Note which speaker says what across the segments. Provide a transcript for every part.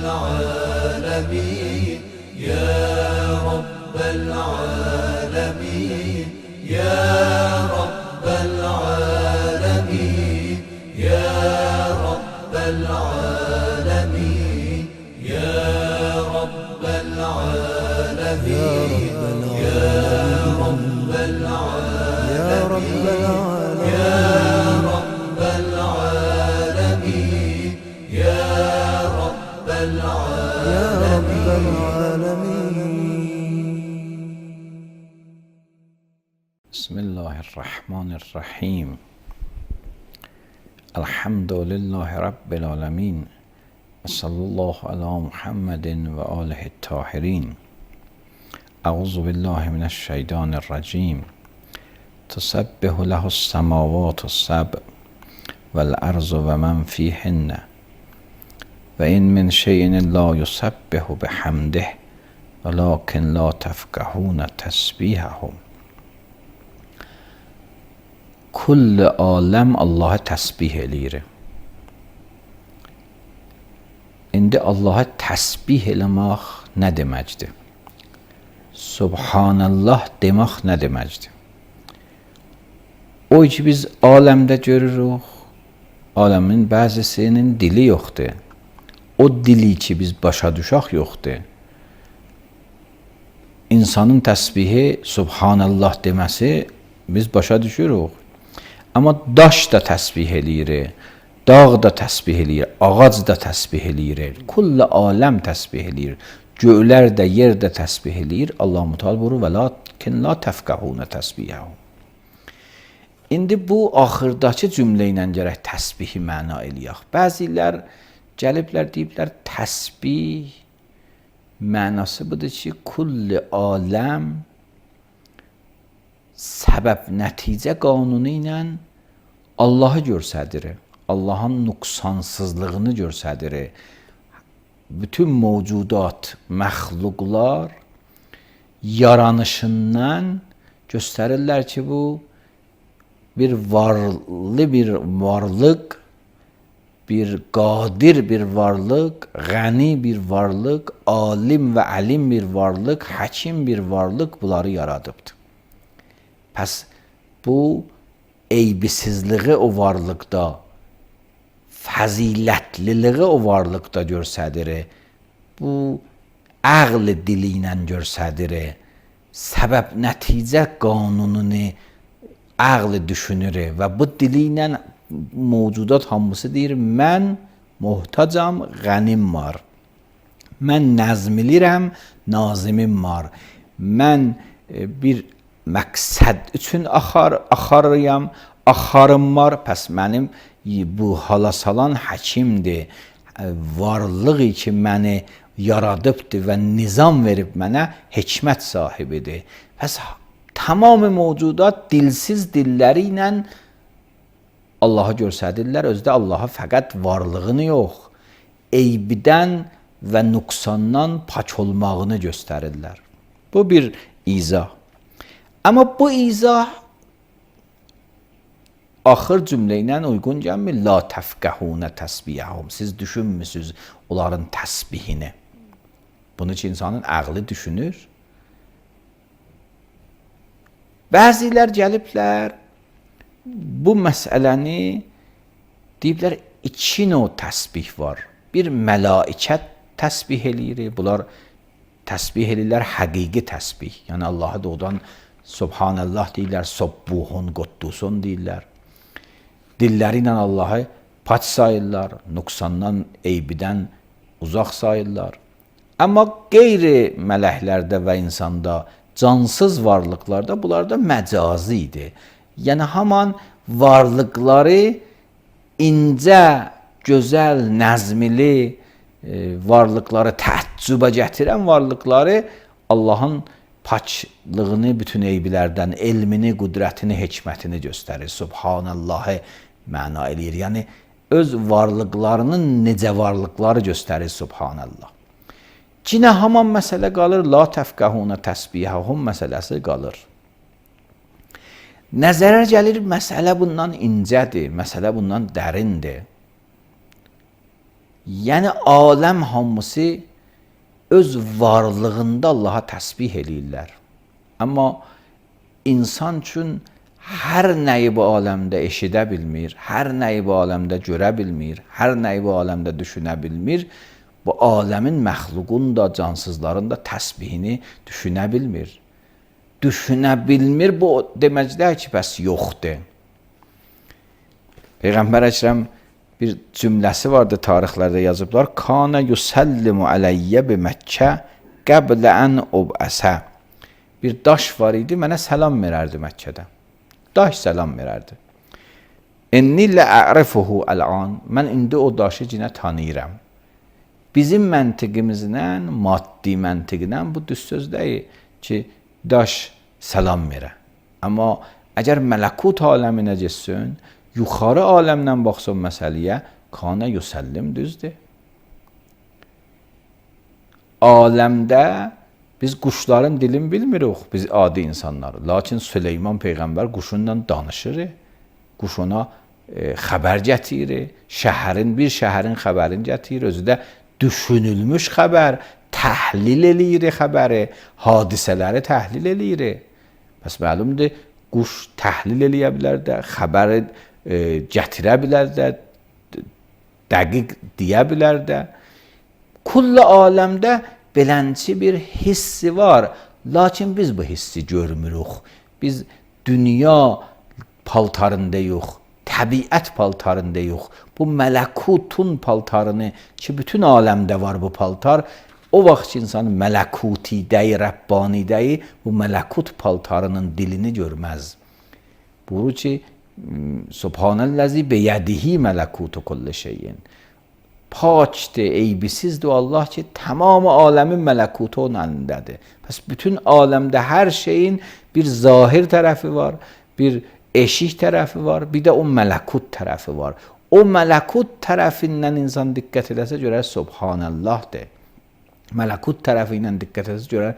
Speaker 1: العالمين يا رب العالمين يا رب العالمين يا رب العالمين يا رب العالمين يا رب العالمين يا رب العالمين يا رب العالمين.
Speaker 2: بسم الله الرحمن الرحیم. الحمد لله رب العالمین و صلی الله علی محمد و آله الطاهرین. اعوذ بالله من الشیطان الرجیم. تسبح له السماوات السبع والارض و من فیهن و این من شیء لا یسبح بحمده ولکن لا تفقهون تسبیحهم. Kull aləm Allaha təsbih eləyir. İndi Allaha təsbih eləmək nə deməkdir? Subhanallah demək nə deməkdir? O ki biz aləmdə görürük, aləmin bəzisinin dili yoxdur. O dili ki biz başa düşək yoxdur. İnsanın təsbihi Subhanallah deməsi biz başa düşürük. Amma daş da təsbih eləyir, dağ da təsbih eləyir, ağac da təsbih eləyir, kull aləm təsbih eləyir, göylər də, yer də təsbih eləyir. Allah-u Teala buyurur və lakin la təfqəhunə təsbihəhum. İndi bu axırdakı cümlə ilə gərək təsbihi məna eləyək. Bəzilər gəliblər deyiblər təsbih mənası budur ki, kull aləm səbəb nəticə qanunu ilə Allahı göstərir. Allahın nüqsansızlığını göstərir. Bütün mövcudat, məxluqlar yaranışından göstərirlər ki, bu bir varlı bir varlıq, bir qadir bir varlıq, qəni bir varlıq, alim və əlim bir varlıq, həkim bir varlıq bunları yaradıbdır. Pəs bu eybisizliği o varlıqda, fəzilətliliği o varlıqda göstərir. Bu əql dili ilə göstərir. Səbəb nəticə qanununu əql düşünür və bu dili ilə mövcudat hamısı deyir, mən muhtacam, qənim var. Mən nəzmilirəm, nazimim var. Mən bir məqsəd üçün axarıyam, axarım var. Pəs mənim bu hala salan həkimdir. Varlığı ki məni yaradıbdır və nizam verib mənə hikmət sahibidir. Pəs tamamı mövcudat dilsiz dilləri ilə Allahı göstərirlər. Özdə Allaha fəqət varlığını yox, eybidən və nüqsandan pak olmağını göstərirlər. Bu bir izah. Amma bu izah axır cümlə ilə uyğun gəlmir. La təfqəhunə təsbihəhum. Siz düşünmüsünüz onların təsbihini. Bunun için insanın əqli düşünür. Bəzilər gəliblər bu məsələni deyiblər, iki növ təsbih var. Bir mələikət təsbih eləyir. Bunlar təsbih eləyirlər həqiqi təsbih. Yəni Allahı doğudan Subhanallah deyirlər, Subbuhun, Quddusun deyirlər. Dilləri ilə Allahı paç sayırlar, nüqsandan, eybidən uzaq sayırlar. Amma qeyri mələklərdə və insanda, cansız varlıqlarda bunlar da məcazi idi. Yəni haman varlıqları incə, gözəl, nəzmili varlıqları, təəccübə gətirən varlıqları Allahın paklığını bütün eybilərdən, elmini, qüdrətini, hikmətini göstərir. Subhanallahı məna eləyir. Yəni öz varlıqlarının necə varlıqları göstərir Subhanallah. Cinə haman məsələ qalır, la təfqəhunə təsbihəhum məsələsi qalır. Nəzərə gəlir, məsələ bundan incədir, məsələ bundan dərindir. Yəni aləm hamısı öz varlığında Allaha təsbih eləyirlər. Amma insan üçün hər nəyi bu aləmdə eşidə bilmir, hər nəyi bu aləmdə görə bilmir, hər nəyi bu aləmdə düşünə bilmir. Bu aləmin məxluqun da, cansızların da təsbihini düşünə bilmir. Düşünə bilmir, bu deməkdir ki, bəs yoxdur. Peyğəmbər Əkrəm bir cümləsi vardı, tarixlərdə yazıblar. Kana yusallimu aleyyə bi Məkkə qəblə ən ub'əsə. Bir daş var idi, mənə salam verərdi Məkkədə. Daş salam verərdi. İnni lə'rifuhu əl'an. Mən indi o daşı yenə tanıyıram. Bizim məntiqimizdən, maddi məntiqdən bu düz söz deyil ki, daş salam verə. Amma əgər mələkut aləminə getsin, yuxarı aləmdən baxsın məsələyə, kana yusallim düzdür. Aləmdə biz quşların dilini bilmirik, biz adi insanlar. Lakin Süleyman Peyğəmbər quşunla danışır, quş ona xəbər gətirir, bir şəhərin xəbərini gətirir, özü də düşünülmüş xəbər, təhlil eləyir xəbəri, hadisələri təhlil eləyir. Bəs məlumdur, quş təhlil eləyə bilər də, xəbəri gətirə bilər də, dəqiq deyə bilər də. Kullu aləmdə belənçi bir hissi var, lakin biz bu hissi görmürük. Biz dünya paltarında yox, təbiət paltarında yox. Bu mələkutun paltarını ki, bütün aləmdə var bu paltar, o vaxt insan mələkutidəyi, Rəbbanidəyi bu mələkut paltarının dilini görməz. Buyurur ki, Subhanəllazi beyədihi mələkutu kulli şeyin. Pakdır, eybisizdir Allah ki, tamamı aləmin mələkutu onun əlindədir. Pəs bütün aləmdə hər şeyin bir zahir tərəfi var, bir eşik tərəfi var, bir də o mələkut tərəfi var. O mələkut tərəfindən insan diqqət edəsə görər Subhanəllahdır. Mələkut tərəfindən diqqət edəsə görər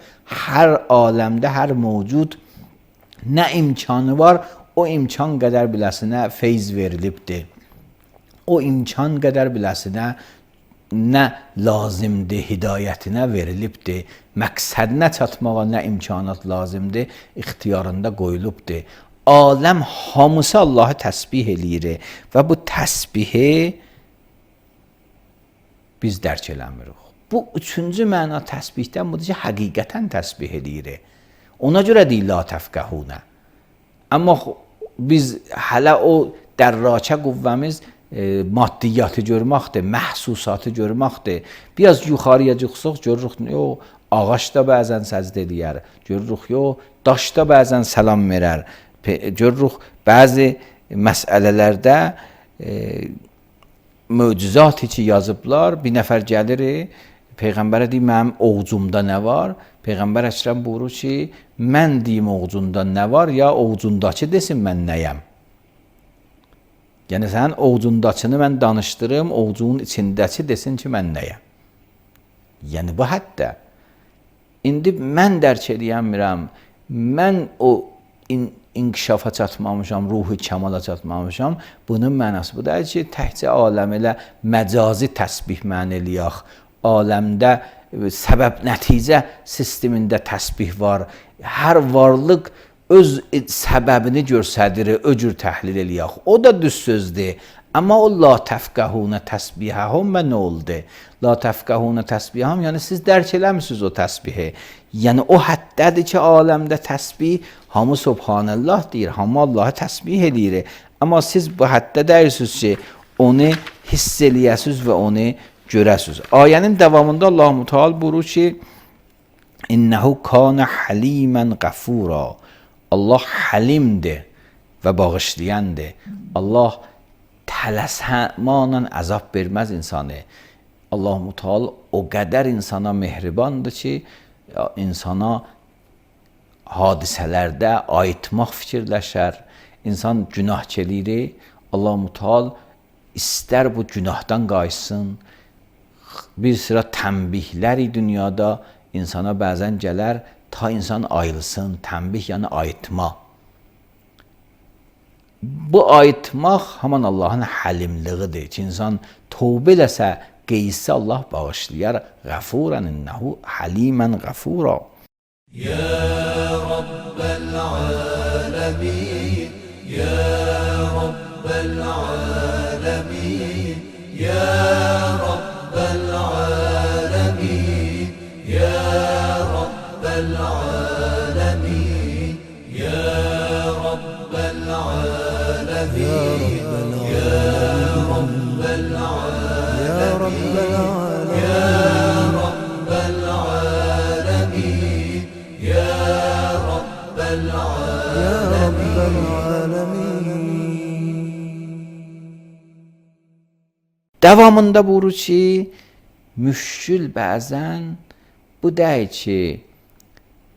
Speaker 2: hər aləmdə, hər mövcud nə imkanı var, o imkan qədər biləsinə feyz verilibdir. O imkan qədər biləsinə nə lazımdır, hidayətinə verilibdir. Məqsədinə çatmağa nə imkanat lazımdır, ixtiyarında qoyulubdur. Aləm hamısı Allahı təsbih eləyir və bu təsbihi biz dərk eləmirik. Bu üçüncü məna təsbihdən budur ki, həqiqətən təsbih eləyir. Ona görə deyil la təfqəhunə. Amma biz hələ o dərrakə qüvvəmiz maddiyyatı görməkdir, məhsusatı görməkdir. Biraz yuxarıya çıxsaq görürük, yox, ağac da bəzən səcdə eləyər, görürük, yox, daş da bəzən salam verər. Görürük, bəzi məsələlərdə möcüzat ki yazıblar, bir nəfər gəlir, Peyğəmbərə deyir, mənim oğcumda nə var? Peyğəmbər Əkrəm buyurur ki, mən deyim oğcunda nə var, ya oğcundakı desin mən nəyəm? Yəni, sənin oğcundakını mən danışdırım, oğcunun içindəki desin ki, mən nəyəm? Yəni, bu hətta. İndi mən dərk edəyəmirəm, mən o inkişafa çatmamışam, ruhu kəmala çatmamışam. Bunun mənası bu deyil ki, təkcə aləm elə məcazi təsbih mən eləyək. Aləmdə səbəb-nəticə sistemində təsbih var. Hər varlıq öz səbəbini göstərir, o cür təhlil eləyək. O da düz sözdür. Amma o la təfqəhunə təsbihəhum və nə oldu? La təfqəhunə təsbihəhum, yəni siz dərk eləmişsiniz o təsbihi. Yəni o həddədir ki, aləmdə təsbih hamı Subhanəllah deyir, hamı Allahı təsbih eləyir. Amma siz bu həddə deyirsiniz ki, onu hiss eləyəsiniz və onu görəsiniz. Ayənin davamında Allah-u Teala buyurur ki, İnnəhu kana halimən qəfura. Allah halimdir və bağışlayandır. Allah tələsəmanla əzab verməz insanı. Allah-u Teala o qədər insana mehribandır ki, insana hadisələrdə ayıtmaq fikirləşər. İnsan günah eləyir. Allah-u Teala istər bu günahdan qaçsın. Bir sıra tənbihləri dünyada insana bəzən gələr, ta insan ayılsın. Tənbih yəni ayıtma. Bu ayıtmaq haman Allahın həlimliğidir ki, insan tövbə eləsə qeysi Allah bağışlayar. Gafuran innehu halimen gafura.
Speaker 1: يا رب العالمين يا رب العالمين يا رب العالمين يا رب العالمين يا رب العالمين يا رب العالمين يا رب العالمين يا رب العالمين يا رب العالمين.
Speaker 2: Devamında buyurur ki, müşkül bəzən bu deyil ki,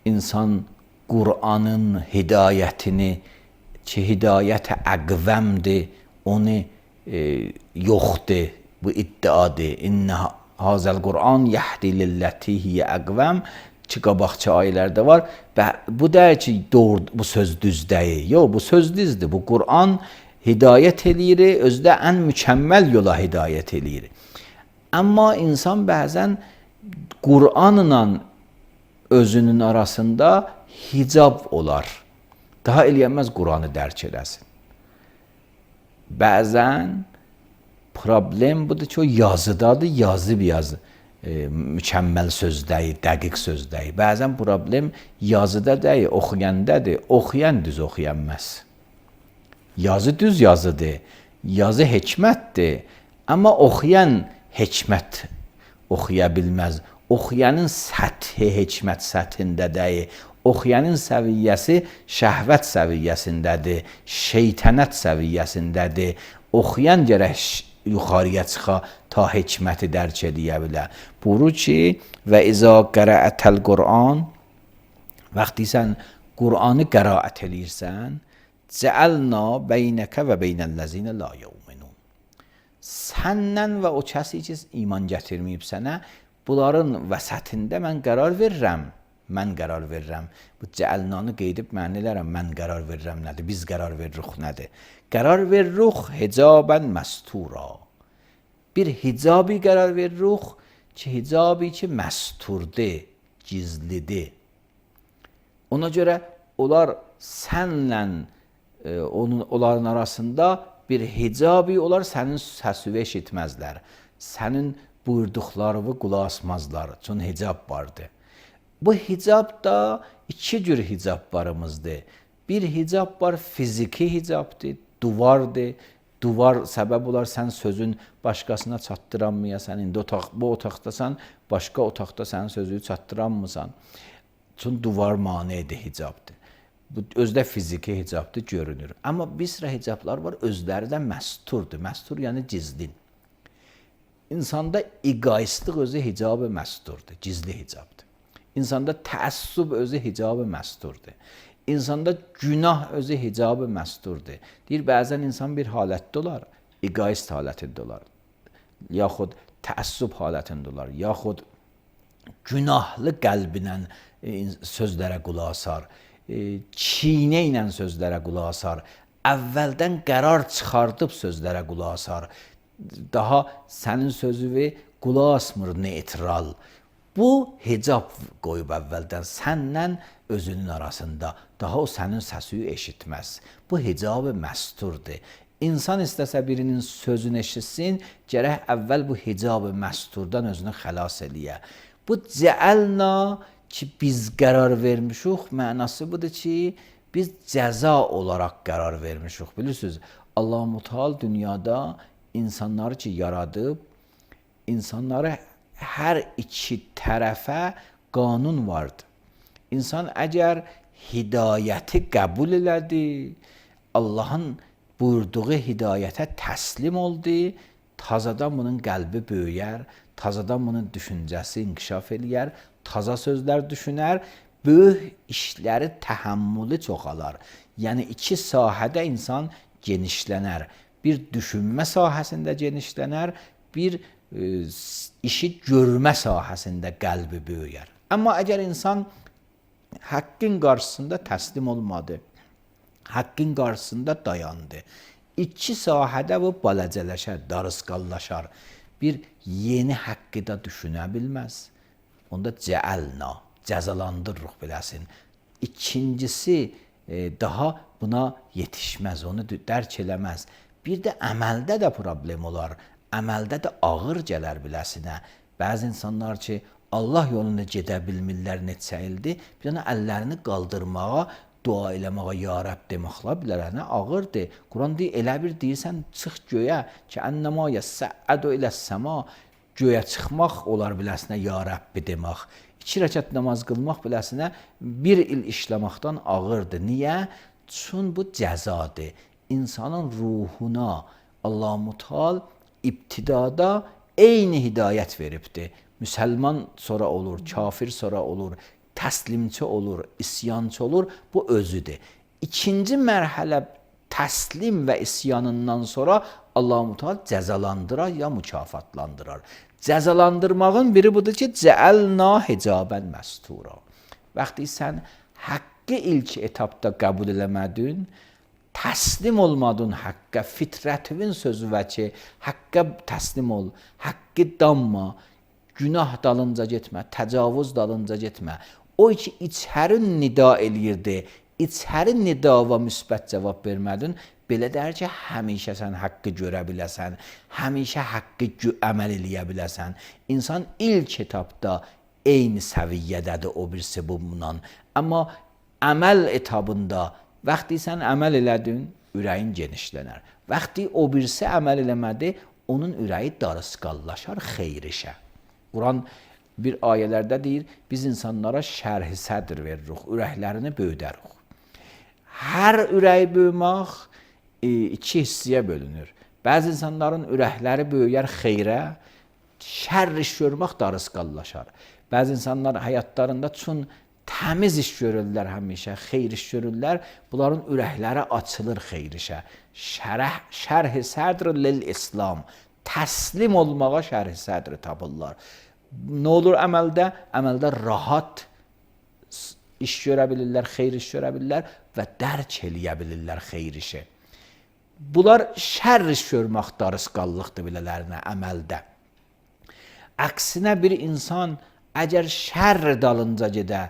Speaker 2: insan Qur'anın hidayətini, ki hidayət əqvəmdir, onu yoxdur, bu iddiadır. İnnə hazəl Qur'an yəhdi lilləti hiyə əqvəm ki, qabaqçı ayələrdə var. Və bu deyil ki, doğru, bu söz düz deyil. Yox, bu söz düzdür. Bu Qur'an hidayət eləyir, özdə ən mükəmməl yola hidayət eləyir. Amma insan bəzən Qur'anla özünün arasında hicab olar. Daha eləyəməz Qur'anı dərk eləsin. Bəzən problem budur ki, o yazıdadır, yazı bir yazı. Mükəmməl söz deyil, dəqiq söz deyil. Bəzən problem yazıda deyil, oxuyandadır. Oxuyan düz oxuyanməz. Yazı düz yazıdır, yazı hikmətdir. Amma oxuyan hikmət oxuya bilməz. Oxuyanın səthi hikmət səthində deyil. Oxuyanın səviyyəsi şəhvət səviyyəsindədir, şeytanət səviyyəsindədir. Oxuyan gərək yuxarıya çıxa ta hikməti dərk edə bilər. Buyurur ki, və izə qəra'ətəl Qur'an, vaxtı sən Qur'anı qiraət eləyirsən, cəəlna beynəkə və beynəl-ləzinə la yu'minun. Səndən və o kəsi ki, iman gətirməyib sənə, bunların vəsətində mən qərar verirəm. Mən qərar verirəm. Bu cəəlnanı qeydib mənilərəm, mən qərar verirəm nədir? Biz qərar veririk nədir? Qərar veririk hicabən məstura. Bir hicabi qərar veririk ki, hicabi ki, məsturdir, gizlidir. Ona görə onlar sənlə onların arasında bir hicabi olar, sənin səsini eşitməzlər. Sənin buyurduqlarını qulaq asmazlar. Çünki hicab vardır. Bu hicab da iki cür hicablarımızdır. Bir hicab var, fiziki hicabdır, duvardır. Duvar səbəb olar, sən sözün başqasına çatdıranmayasan. İndi bu otaqdasan, başqa otaqda sənin sözünü çatdıranmısan. Çünki duvar manedir, hicabdır. Bu özdə fiziki hicabdır, görünür. Amma bir sıra hicablar var, özləri də məsturdur. Məstur yəni gizlin. İnsanda egoistik özü hicabı məsturdur, gizli hicabdır. İnsanda təəssüb özü hicabı məsturdur. İnsanda günah özü hicabı məsturdur. Deyir, bəzən insan bir halətdə olar, egoist halətində olar, yaxud təəssüb halətində olar, yaxud günahlı qəlbinə sözlərə qulaq asar, çiynə ilə sözlərə qulaq asar, əvvəldən qərar çıxardıb sözlərə qulaq asar, daha sənin sözünü qulaq asmır, neytral. Bu hicab qoyub əvvəldən səndən özünün arasında, daha o sənin səsini eşitməz. Bu hicab-ı məsturdur. İnsan istəsə birinin sözünü eşitsin, gərək əvvəl bu hicab-ı məsturdan özünü xəlas eləyə. Bu cəəlna ki, biz qərar vermişik, mənası budur ki, biz cəza olaraq qərar vermişik. Bilirsiniz, Allah-u Teala dünyada insanları ki, yaradıb, insanları hər iki tərəfə qanun vardır. İnsan əgər hidayəti qəbul elədi, Allahın buyurduğu hidayətə təslim oldu, tazadan bunun qəlbi böyüyər, tazadan bunun düşüncəsi inkişaf eləyər, taza sözlər düşünər, böyük işləri təhəmmülü çoxalar. Yəni iki sahədə insan genişlənər. Bir düşünmə sahəsində genişlənər, bir işi görmə sahəsində qəlbi böyüyər. Amma əgər insan haqqın qarşısında təslim olmadı, haqqın qarşısında dayandı, iki sahədə bu balacələşər, darısqallaşar. bir yeni haqqı da düşünə bilməz. Onda cəəlna, cəzalandırırıq biləsin. İkincisi, daha buna yetişməz, onu dərk eləməz. Bir də əməldə də problem olar. Əməldə də ağır gələr biləsinə. Bəzi insanlar ki, Allah yolunda gedə bilmirlər neçə ildir, bir dənə əllərini qaldırmağa, dua eləməyə, ya Rəbb deməklə bilər, nə ağırdır. Quran deyir, elə bir deyirsən, çıx göyə ki, ennəmə yəssəədu iləs-səma, göyə çıxmaq olar biləsinə, ya Rəbbi demək. 2 rəkət namaz qılmaq biləsinə 1 il işləməkdən ağırdır. Niyə? Çün bu cəzadır. İnsanın ruhuna Allah-Mutal ibtidada eyni hidayət veribdir. Müsəlman sonra olur, kafir sonra olur, təslimçi olur, isyançı olur. Bu özüdür. İkinci mərhələ təslim və isyanından sonra Allah-Mutal cəzalandırar ya mükafatlandırar. Cəzalandırmağın biri budur ki, cəəlna hicabən məstura. Vaxtı sən haqqı ilk etapda qəbul eləmədin, təslim olmadın haqqqa, fitrətivin sözü və ki, haqqqa təslim ol, haqqı danma, günah dalınca getmə, təcavüz dalınca getmə. O ki, içərin nida eləyirdi, içərin nida və müsbət cavab vermədin, belə dər ki, həmişə sən haqqı görə biləsən, həmişə haqqı əməl eləyə biləsən. İnsan ilk etapda eyni səviyyədədir o birisi bundan. Amma əməl etabında vaxtı sən əməl elədin, ürəyin genişlənər. Vaxtı o birisi əməl eləmədi, onun ürəyi darısqallaşar xeyrişə. Quran bir ayələrdə deyir, biz insanlara şərh-i sədr veririk, ürəklərini böyüdərik. Hər ürəyi böyümək 2 hissəyə bölünür. Bəzi insanların ürəkləri böyüyər xeyrə, şərr iş görmək darısqallaşar. Bəzi insanlar həyatlarında çün təmiz iş görürlər həmişə, xeyr iş görürlər, bunların ürəkləri açılır xeyr işə. Şərh-i sədr lil-İslam, təslim olmağa şərh-i sədr tapırlar. Nə olur əməldə? Əməldə rahat iş görə bilirlər, xeyr iş görə bilirlər və dərk eləyə bilirlər xeyr işi. Bunlar şərr iş görmək darısqallıqdır bilələrinə əməldə. Əksinə bir insan əgər şərr dalınca gedə,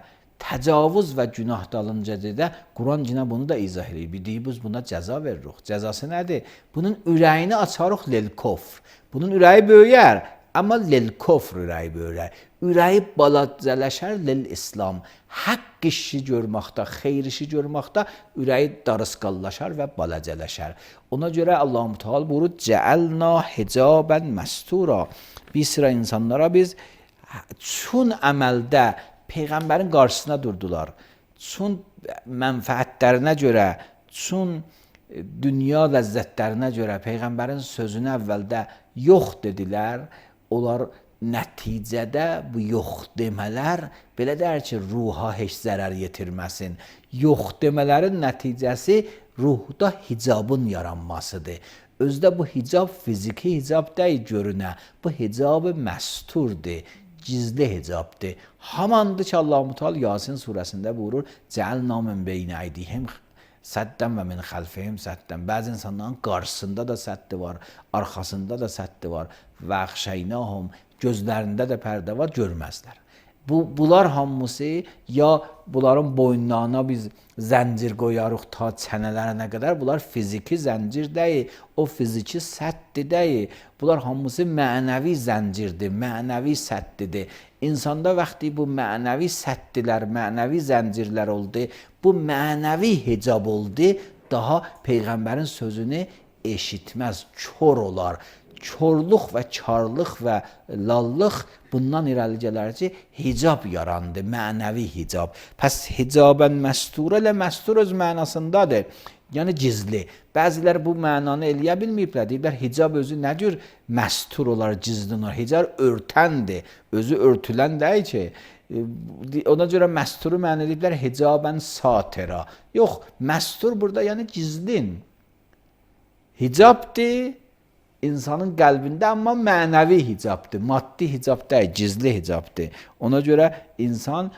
Speaker 2: təcavüz və günah dalınca gedə, Quran yine bunu da izah edir. Deyir, biz buna cəza veririk. Cəzası nədir? Bunun ürəyini açarıq lil-kofr. Bunun ürəyi böyüyər, amma lil-kofr ürəyi böyüyər. Ürəyi balacələşər lil-İslam. Haqq işi görməkdə, xeyr işi görməkdə ürəyi darısqallaşar və balacələşər. Ona görə Allah-u Teala buyurur, cəəlna hicabən məstura. Bir sıra insanlara biz çün əməldə Peyğəmbərin qarşısına durdular. Çün mənfəətlərinə görə, çün dünya ləzzətlərinə görə Peyğəmbərin sözünü əvvəldə yox dedilər. Onlar nəticədə bu yox demələr belə deyər ki, ruha heç zərər yetirməsin. Yox demələrin nəticəsi ruhda hicabın yaranmasıdır. Özdə bu hicab fiziki hicab deyil görünə. Bu hicab məsturdur. Gizli hicabdır. Hamandır ki Allah-u Teala Yasin surəsində buyurur, Cəəlna min beyni əydihim səddən və min xəlfihim səddən. Bəzi insanların qarşısında da səddi var, arxasında da səddi var. Və əxşəynəhum, gözlərində də pərdə var, görməzlər. Bunlar hamısı ya bunların boynlarına biz zəncir qoyarıq ta çənələrinə qədər. Bunlar fiziki zəncir deyil, o fiziki səddi deyil. Bunlar hamısı mənəvi zəncirdir, mənəvi səddidir. İnsanda vaxtı bu mənəvi səddilər, mənəvi zəncirlər oldu, bu mənəvi hicab oldu, daha Peyğəmbərin sözünü eşitməz, kör olar. Körlük və karlıq və lallıq bundan irəli gələr ki, hicab yarandı, mənəvi hicab. Pəs hicabən məstura ilə məstur öz mənasındadır. Yəni gizli. Bəzilər bu mənanı eləyə bilməyiblər. Deyiblər, hicab özü nə cür məstur olar, gizli olar. Hicab örtəndir. Özü örtülən deyil ki. Ona görə məsturu mənə ediblər, hicabən satira. Yox, məstur burada yəni gizlin. Hicabdır. İnsanın qəlbində, amma mənəvi hicabdır, maddi hicab deyil, gizli hicabdır. Ona görə insan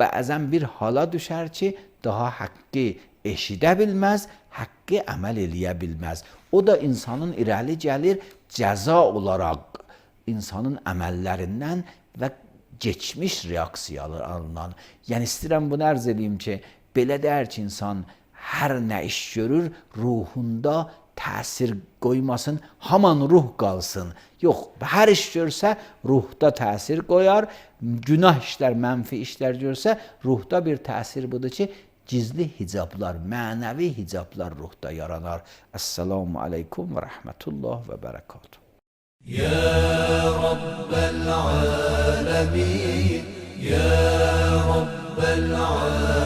Speaker 2: bəzən bir hala düşər ki, daha haqqı eşidə bilməz, haqqı əməl eləyə bilməz. O da insanın irəli gəlir cəza olaraq insanın əməllərindən və geçmiş reaksiyalarından. Yəni istəyirəm bunu ərz edeyim ki, belə deyər ki, insan hər nə iş görür, ruhunda təsir qoymasın, haman ruh qalsın. Yox, hər iş görsə ruhda təsir qoyar, günah işlər, mənfi işlər görsə ruhda bir təsir budur ki, gizli hicablar, mənəvi hicablar ruhda yaranar. Esselamu aleykum və rəhmətullah və bərəkatuhu.
Speaker 1: يا رب العالمين يا رب العالمين